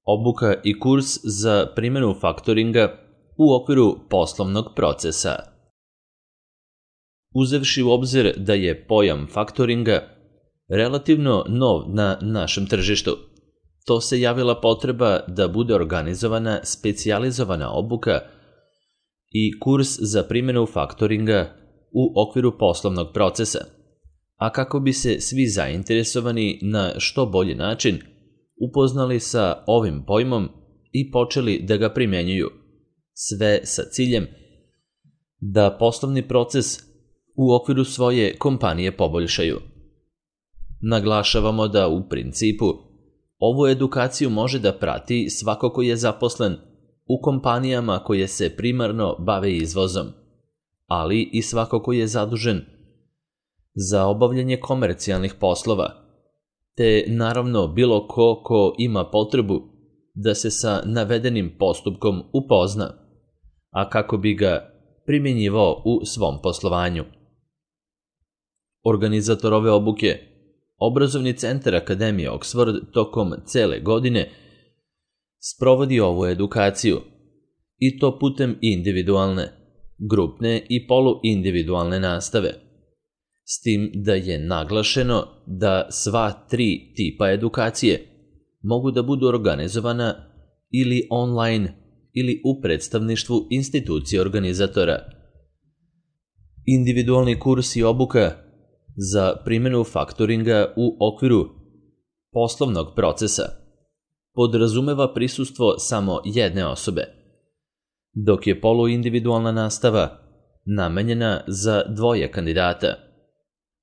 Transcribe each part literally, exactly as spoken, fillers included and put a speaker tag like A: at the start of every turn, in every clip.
A: Obuka i kurs za primjenu faktoringa u okviru poslovnog procesa. Uzevši u obzir da je pojam faktoringa relativno nov na našem tržištu, to se javila potreba da bude organizovana specijalizovana obuka i kurs za primjenu faktoringa u okviru poslovnog procesa, a kako bi se svi zainteresovani na što bolji način upoznali sa ovim pojmom i počeli da ga primenjuju, sve sa ciljem da poslovni proces u okviru svoje kompanije poboljšaju. Naglašavamo da u principu ovu edukaciju može da prati svako ko je zaposlen u kompanijama koje se primarno bave izvozom, ali i svako ko je zadužen za obavljanje komercijalnih poslova, te naravno bilo ko ko ima potrebu da se sa navedenim postupkom upozna, a kako bi ga primjenjivao u svom poslovanju. Organizator ove obuke, Obrazovni centar Akademije Oxford, tokom cele godine sprovodi ovu edukaciju, i to putem individualne, grupne i poluindividualne nastave, s tim da je naglašeno da sva tri tipa edukacije mogu da budu organizovana ili online ili u predstavništvu institucije organizatora. Individualni kurs i obuka za primjenu faktoringa u okviru poslovnog procesa podrazumeva prisustvo samo jedne osobe, dok je poluindividualna nastava namenjena za dvoje kandidata,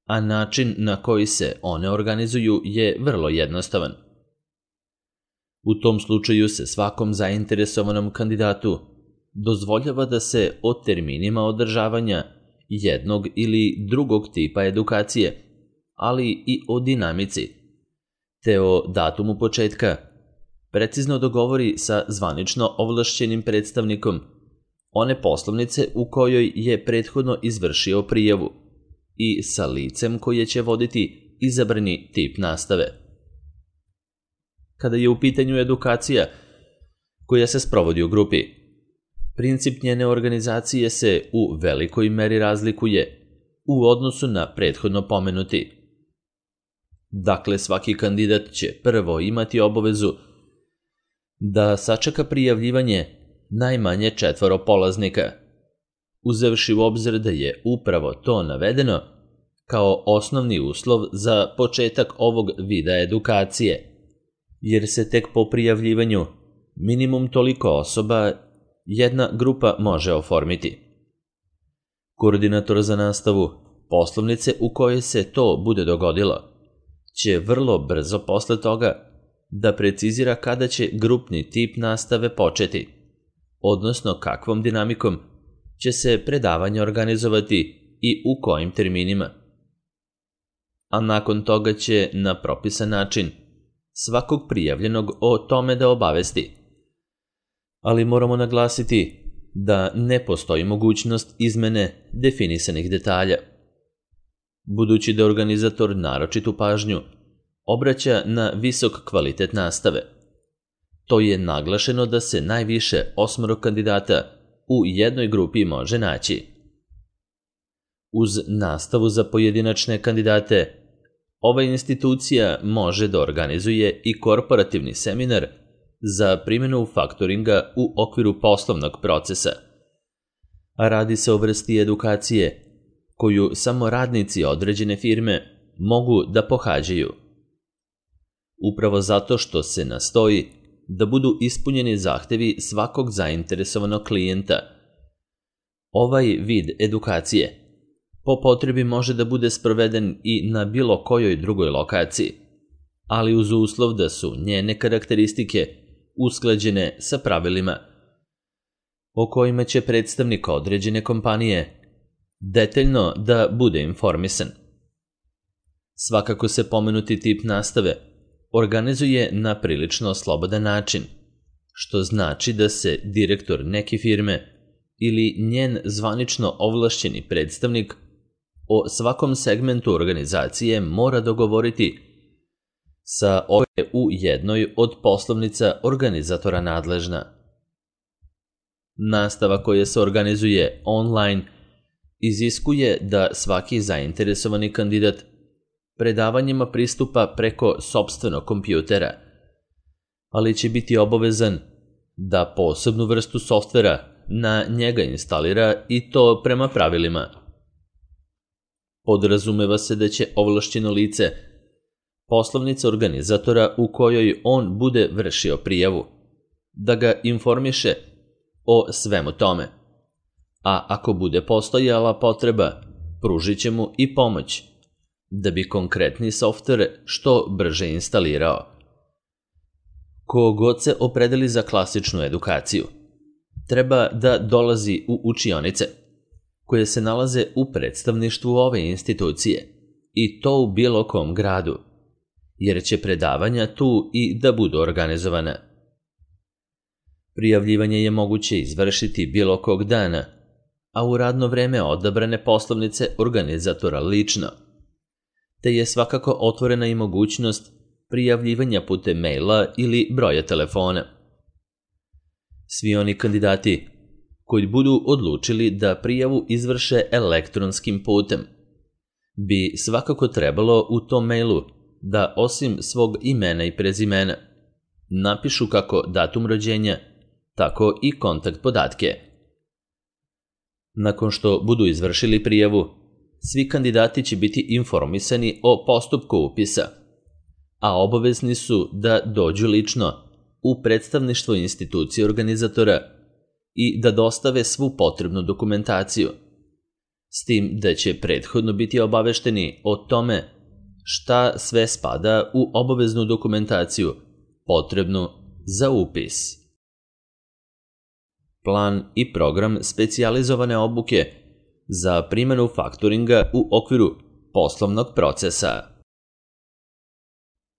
A: a način na koji se one organizuju je vrlo jednostavan. U tom slučaju se svakom zainteresovanom kandidatu dozvoljava da se o terminima održavanja jednog ili drugog tipa edukacije, ali i o dinamici, te o datumu početka, precizno dogovori sa zvanično ovlašćenim predstavnikom one poslovnice u kojoj je prethodno izvršio prijavu i sa licem koje će voditi izabrani tip nastave. Kada je u pitanju edukacija koja se sprovodi u grupi, princip njene organizacije se u velikoj meri razlikuje u odnosu na prethodno pomenuti. Dakle, svaki kandidat će prvo imati obavezu da sačeka prijavljivanje najmanje četvoro polaznika, uzevši u obzir da je upravo to navedeno kao osnovni uslov za početak ovog vida edukacije, jer se tek po prijavljivanju minimum toliko osoba jedna grupa može oformiti. Koordinator za nastavu poslovnice u kojoj se to bude dogodilo će vrlo brzo posle toga da precizira kada će grupni tip nastave početi, odnosno kakvom dinamikom će se predavanje organizovati i u kojim terminima. A nakon toga će na propisan način svakog prijavljenog o tome da obavesti. Ali moramo naglasiti da ne postoji mogućnost izmene definisanih detalja, budući da organizator naročitu pažnju obraća na visok kvalitet nastave. To je naglašeno da se najviše osmoro kandidata u jednoj grupi može naći. Uz nastavu za pojedinačne kandidate, ova institucija može da organizuje i korporativni seminar za primjenu faktoringa u okviru poslovnog procesa, a radi se o vrsti edukacije koju samo radnici određene firme mogu da pohađaju. Upravo zato što se nastoji da budu ispunjeni zahtevi svakog zainteresovanog klijenta, ovaj vid edukacije po potrebi može da bude sproveden i na bilo kojoj drugoj lokaciji, ali uz uslov da su njene karakteristike usklađene sa pravilima o kojima će predstavnik određene kompanije detaljno da bude informisan. Svakako se pomenuti tip nastave organizuje na prilično slobodan način, što znači da se direktor neke firme ili njen zvanično ovlašćeni predstavnik o svakom segmentu organizacije mora dogovoriti sa ove u jednoj od poslovnica organizatora nadležna. Nastava koja se organizuje online iziskuje da svaki zainteresovani kandidat predavanjima pristupa preko sopstvenog kompjutera, ali će biti obavezan da posebnu vrstu softvera na njega instalira i to prema pravilima. Podrazumeva se da će ovlašćeno lice poslovnica organizatora u kojoj on bude vršio prijavu da ga informiše o svemu tome, a ako bude postojala potreba, pružit će mu i pomoć da bi konkretni softver što brže instalirao. Ko god se opredeli za klasičnu edukaciju, treba da dolazi u učionice koje se nalaze u predstavništvu ove institucije i to u bilo kom gradu, jer će predavanja tu i da budu organizovana. Prijavljivanje je moguće izvršiti bilo kog dana, a u radno vreme odabrane poslovnice organizatora lično, te je svakako otvorena i mogućnost prijavljivanja putem maila ili broja telefona. Svi oni kandidati koji budu odlučili da prijavu izvrše elektronskim putem bi svakako trebalo u tom mailu da osim svog imena i prezimena napišu kako datum rođenja, tako i kontakt podatke. Nakon što budu izvršili prijavu, svi kandidati će biti informisani o postupku upisa, a obavezni su da dođu lično u predstavništvo institucije organizatora i da dostave svu potrebnu dokumentaciju, s tim da će prethodno biti obavešteni o tome šta sve spada u obaveznu dokumentaciju potrebnu za upis. Plan i program specijalizovane obuke za primjenu faktoringa u okviru poslovnog procesa.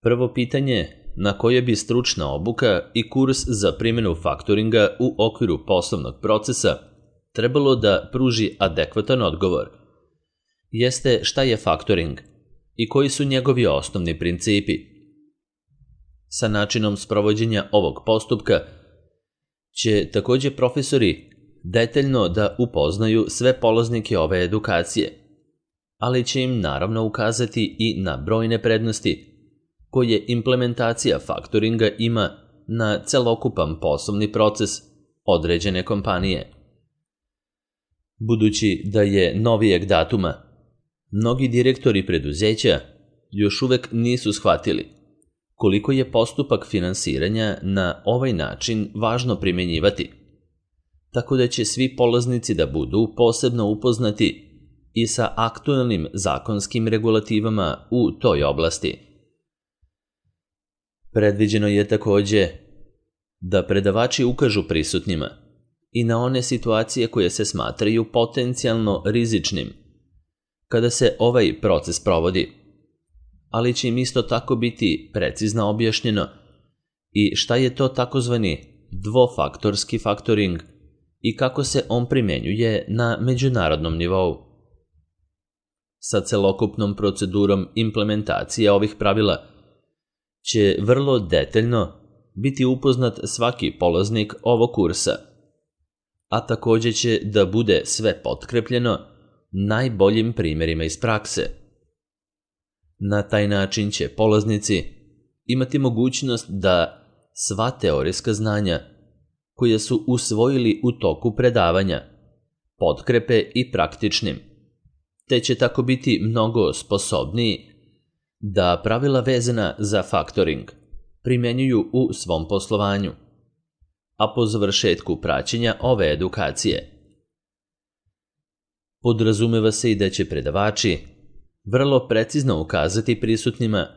A: Prvo pitanje na koje bi stručna obuka i kurs za primjenu faktoringa u okviru poslovnog procesa trebalo da pruži adekvatan odgovor jeste šta je faktoring i koji su njegovi osnovni principi. Sa načinom sprovođenja ovog postupka će također profesori detaljno da upoznaju sve polaznike ove edukacije, ali će im naravno ukazati i na brojne prednosti koje implementacija faktoringa ima na celokupan poslovni proces određene kompanije. Budući da je novijeg datuma, mnogi direktori preduzeća još uvek nisu shvatili koliko je postupak finansiranja na ovaj način važno primjenjivati, tako da će svi polaznici da budu posebno upoznati i sa aktualnim zakonskim regulativama u toj oblasti. Predviđeno je također da predavači ukažu prisutnima i na one situacije koje se smatraju potencijalno rizičnim kada se ovaj proces provodi, ali će im isto tako biti precizno objašnjeno i šta je to takozvani dvofaktorski faktoring i kako se on primenjuje na međunarodnom nivou. Sa celokupnom procedurom implementacije ovih pravila će vrlo detaljno biti upoznat svaki polaznik ovog kursa, a također će da bude sve potkrepljeno najboljim primjerima iz prakse. Na taj način će polaznici imati mogućnost da sva teorijska znanja koja su usvojili u toku predavanja potkrepe i praktičnim, te će tako biti mnogo sposobniji da pravila vezana za faktoring primenjuju u svom poslovanju, a po završetku praćenja ove edukacije podrazumeva se i da će predavači vrlo precizno ukazati prisutnima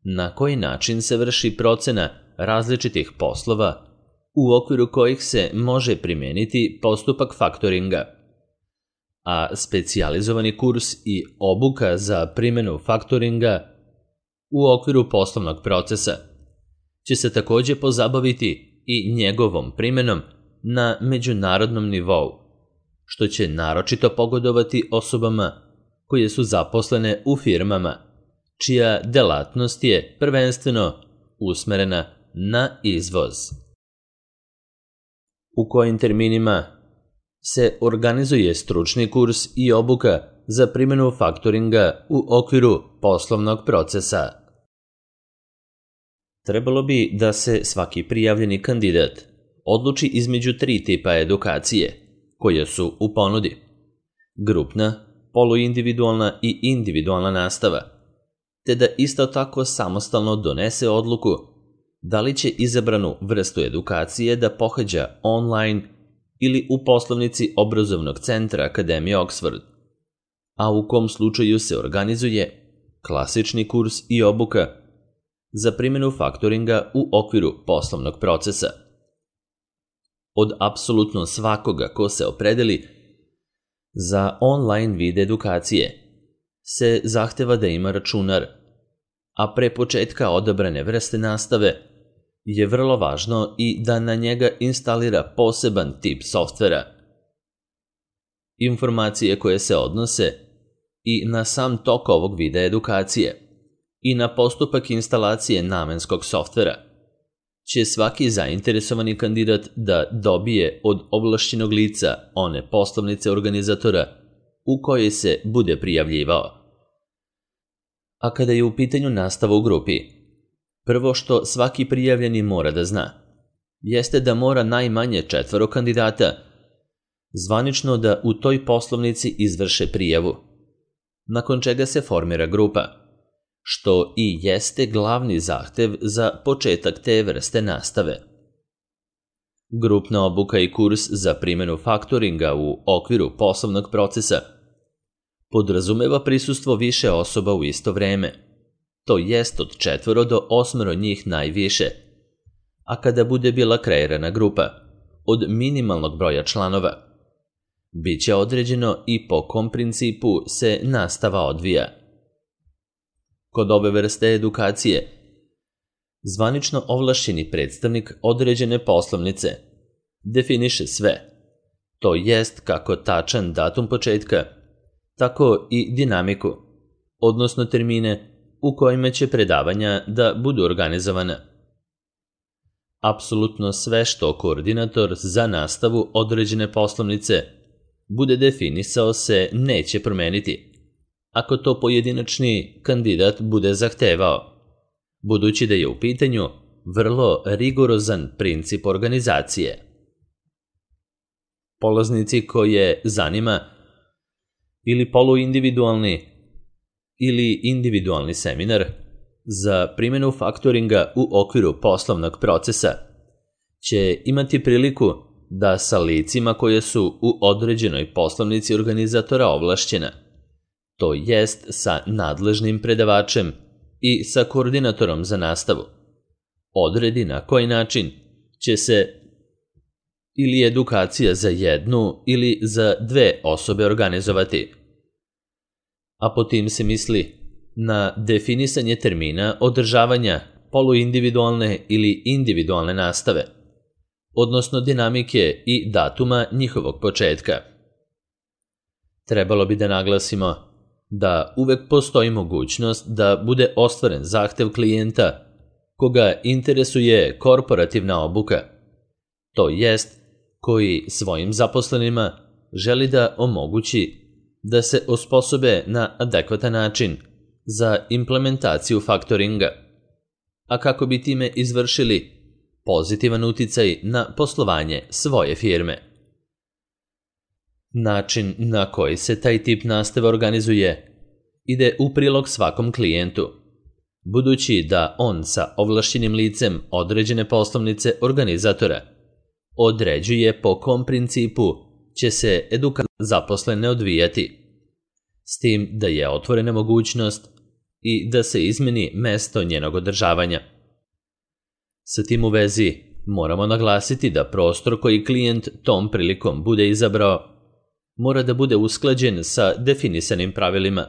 A: na koji način se vrši procena različitih poslova u okviru kojih se može primijeniti postupak faktoringa, a specijalizovani kurs i obuka za primjenu faktoringa u okviru poslovnog procesa će se također pozabaviti i njegovom primjenom na međunarodnom nivou, što će naročito pogodovati osobama koje su zaposlene u firmama čija delatnost je prvenstveno usmerena na izvoz. U kojim terminima se organizuje stručni kurs i obuka za primjenu faktoringa u okviru poslovnog procesa. Trebalo bi da se svaki prijavljeni kandidat odluči između tri tipa edukacije koje su u ponudi: grupna, poluindividualna i individualna nastava, te da isto tako samostalno donese odluku da li će izabranu vrstu edukacije da pohađa online ili u poslovnici obrazovnog centra Akademije Oxford, a u kom slučaju se organizuje klasični kurs i obuka za primjenu faktoringa u okviru poslovnog procesa. Od apsolutno svakoga ko se opredeli za online vid edukacije se zahteva da ima računar, a pre početka odabrane vrste nastave je vrlo važno i da na njega instalira poseban tip softvera. Informacije koje se odnose i na sam tok ovog vida edukacije i na postupak instalacije namenskog softvera će svaki zainteresovani kandidat da dobije od ovlašćenog lica one poslovnice organizatora u kojoj se bude prijavljivao. A kada je u pitanju nastava u grupi, prvo što svaki prijavljeni mora da zna jeste da mora najmanje četvoro kandidata zvanično da u toj poslovnici izvrše prijavu, nakon čega se formira grupa, što i jeste glavni zahtev za početak te vrste nastave. Grupna obuka i kurs za primjenu faktoringa u okviru poslovnog procesa podrazumeva prisustvo više osoba u isto vreme, to jest od četvoro do osmero njih najviše, a kada bude bila kreirana grupa od minimalnog broja članova, bit će određeno i po kom principu se nastava odvija. Kod ove vrste edukacije, zvanično ovlašćeni predstavnik određene poslovnice definiše sve, to jest kako tačan datum početka, tako i dinamiku, odnosno termine u kojima će predavanja da budu organizovana. Apsolutno sve što koordinator za nastavu određene poslovnice bude definisao se neće promeniti, ako to pojedinačni kandidat bude zahtevao, budući da je u pitanju vrlo rigorozan princip organizacije. Polaznici koje zanima ili poluindividualni ili individualni seminar za primjenu faktoringa u okviru poslovnog procesa će imati priliku da sa licima koje su u određenoj poslovnici organizatora ovlašćena, to jest sa nadležnim predavačem i sa koordinatorom za nastavu, odredi na koji način će se ili edukacija za jednu ili za dve osobe organizovati. A po tim se misli na definisanje termina održavanja poluindividualne ili individualne nastave, odnosno dinamike i datuma njihovog početka. Trebalo bi da naglasimo da uvek postoji mogućnost da bude ostvaren zahtev klijenta koga interesuje korporativna obuka, to jest koji svojim zaposlenima želi da omogući da se osposobe na adekvatan način za implementaciju faktoringa, a kako bi time izvršili pozitivan uticaj na poslovanje svoje firme. Način na koji se taj tip nastave organizuje ide u prilog svakom klijentu, budući da on sa ovlašćenim licem određene poslovnice organizatora određuje po kom principu će se edukacija zaposlene odvijati, s tim da je otvorena mogućnost i da se izmeni mesto njenog održavanja. Sa tim u vezi moramo naglasiti da prostor koji klijent tom prilikom bude izabrao mora da bude usklađen sa definisanim pravilima,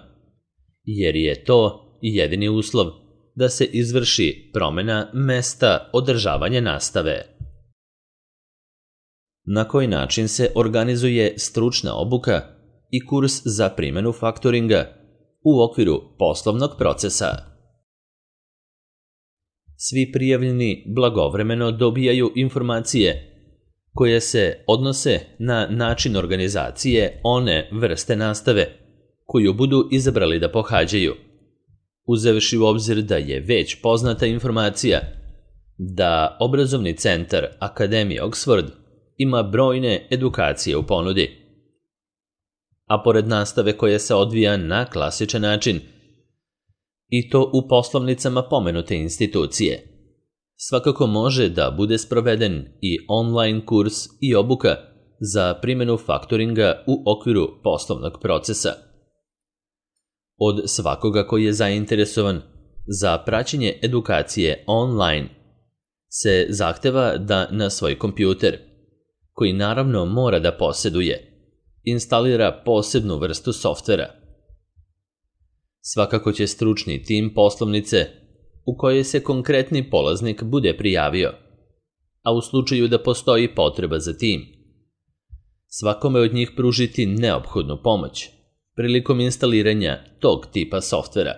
A: jer je to jedini uslov da se izvrši promjena mesta održavanja nastave. Na koji način se organizuje stručna obuka i kurs za primjenu faktoringa u okviru poslovnog procesa. Svi prijavljeni blagovremeno dobijaju informacije koje se odnose na način organizacije one vrste nastave koju budu izabrali da pohađaju, uzevši u obzir da je već poznata informacija da obrazovni centar Akademije Oxford ima brojne edukacije u ponudi. A pored nastave koja se odvija na klasičan način, i to u poslovnicama pomenute institucije, svakako može da bude sproveden i online kurs i obuka za primjenu faktoringa u okviru poslovnog procesa. Od svakoga koji je zainteresovan za praćenje edukacije online se zahteva da na svoj kompjuter, koji naravno mora da posjeduje, instalira posebnu vrstu softvera. Svakako će stručni tim poslovnice u kojoj se konkretni polaznik bude prijavio, a u slučaju da postoji potreba za tim, svakome od njih pružiti neophodnu pomoć prilikom instaliranja tog tipa softvera.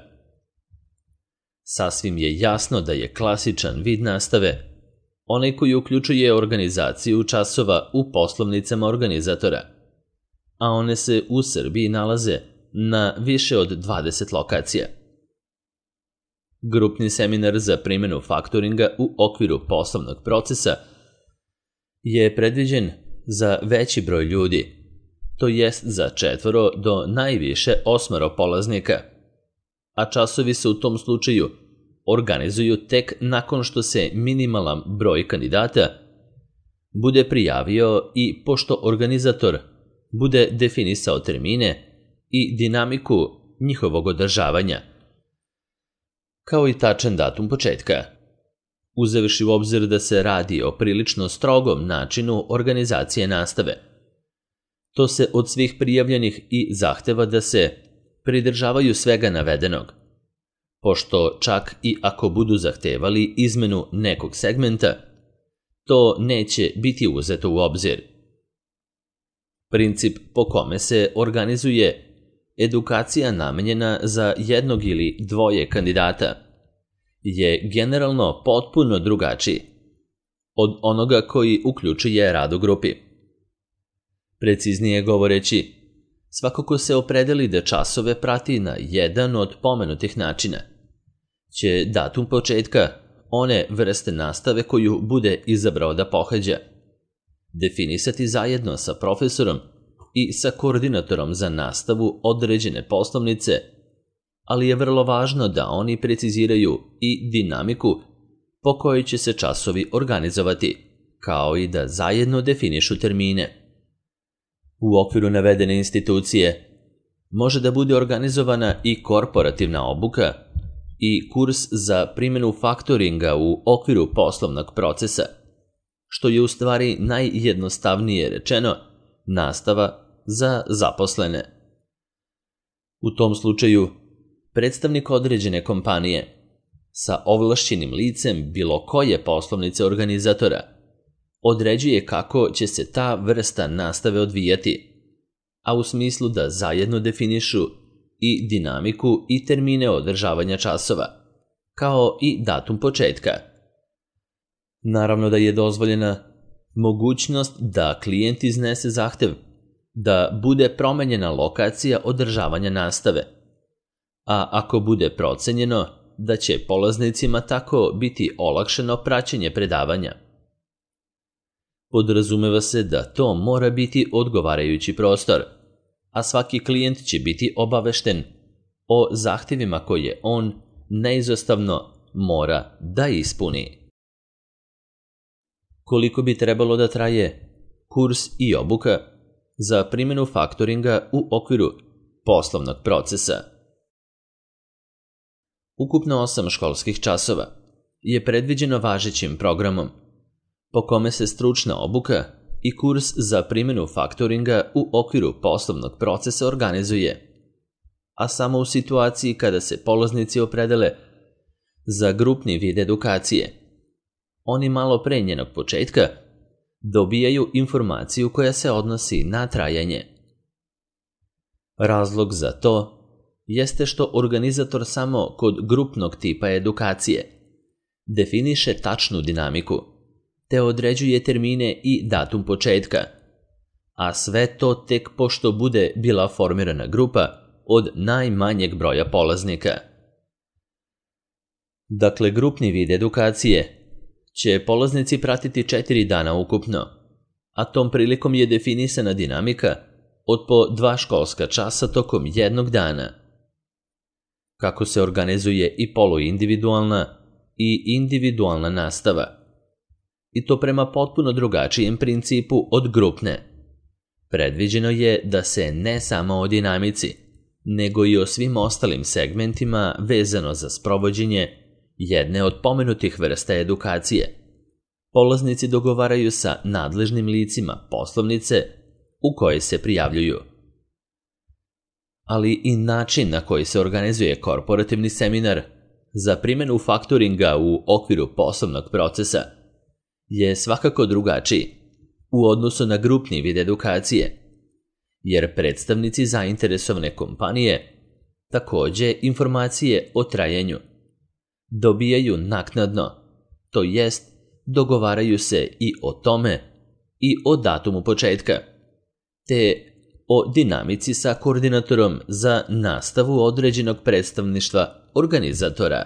A: Sasvim je jasno da je klasičan vid nastave onaj koji uključuje organizaciju časova u poslovnicama organizatora, a one se u Srbiji nalaze na više od dvadeset lokacija. Grupni seminar za primjenu faktoringa u okviru poslovnog procesa je predviđen za veći broj ljudi, to jest za četvoro do najviše osmoro polaznika, a časovi se u tom slučaju organizuju tek nakon što se minimalan broj kandidata bude prijavio i pošto organizator bude definisao termine i dinamiku njihovog održavanja, kao i tačan datum početka, uzevši u obzir da se radi o prilično strogom načinu organizacije nastave. To se od svih prijavljenih i zahteva da se pridržavaju svega navedenog, pošto čak i ako budu zahtevali izmenu nekog segmenta, to neće biti uzeto u obzir. Princip po kome se organizuje edukacija namenjena za jednog ili dvoje kandidata je generalno potpuno drugačiji od onoga koji uključuje rad u grupi. Preciznije govoreći, svako ko se opredeli da časove prati na jedan od pomenutih načina će datum početka one vrste nastave koju bude izabrao da pohađa definisati zajedno sa profesorom i sa koordinatorom za nastavu određene poslovnice, ali je vrlo važno da oni preciziraju i dinamiku po kojoj će se časovi organizovati, kao i da zajedno definišu termine. U okviru navedene institucije može da bude organizovana i korporativna obuka i kurs za primjenu faktoringa u okviru poslovnog procesa, što je u stvari najjednostavnije rečeno nastava za zaposlene. U tom slučaju, predstavnik određene kompanije sa ovlašćenim licem bilo koje poslovnice organizatora određuje kako će se ta vrsta nastave odvijati, a u smislu da zajedno definišu i dinamiku i termine održavanja časova, kao i datum početka. Naravno da je dozvoljena mogućnost da klijent iznese zahtev da bude promenjena lokacija održavanja nastave, a ako bude procenjeno da će polaznicima tako biti olakšano praćenje predavanja. Podrazumeva se da to mora biti odgovarajući prostor, a svaki klijent će biti obavešten o zahtjevima koje on neizostavno mora da ispuni. Koliko bi trebalo da traje kurs i obuka za primjenu faktoringa u okviru poslovnog procesa? Ukupno osam školskih časova je predviđeno važećim programom, po kome se stručna obuka i kurs za primjenu faktoringa u okviru poslovnog procesa organizuje, a samo u situaciji kada se polaznici opredele za grupni vid edukacije. Oni malo pre njenog početka dobijaju informaciju koja se odnosi na trajanje. Razlog za to jeste što organizator samo kod grupnog tipa edukacije definiše tačnu dinamiku, te određuje termine i datum početka, a sve to tek pošto bude bila formirana grupa od najmanjeg broja polaznika. Dakle, grupni vid edukacije će polaznici pratiti četiri dana ukupno, a tom prilikom je definisana dinamika od po dva školska časa tokom jednog dana. Kako se organizuje i poluindividualna i individualna nastava, i to prema potpuno drugačijem principu od grupne. Predviđeno je da se ne samo o dinamici, nego i o svim ostalim segmentima vezano za sprovođenje jedne od pomenutih vrsta edukacije polaznici dogovaraju sa nadležnim licima poslovnice u koje se prijavljuju. Ali i način na koji se organizuje korporativni seminar za primjenu faktoringa u okviru poslovnog procesa je svakako drugačiji u odnosu na grupni vid edukacije, jer predstavnici zainteresovane kompanije takođe informacije o trajanju dobijaju naknadno, to jest dogovaraju se i o tome i o datumu početka, te o dinamici sa koordinatorom za nastavu određenog predstavništva organizatora.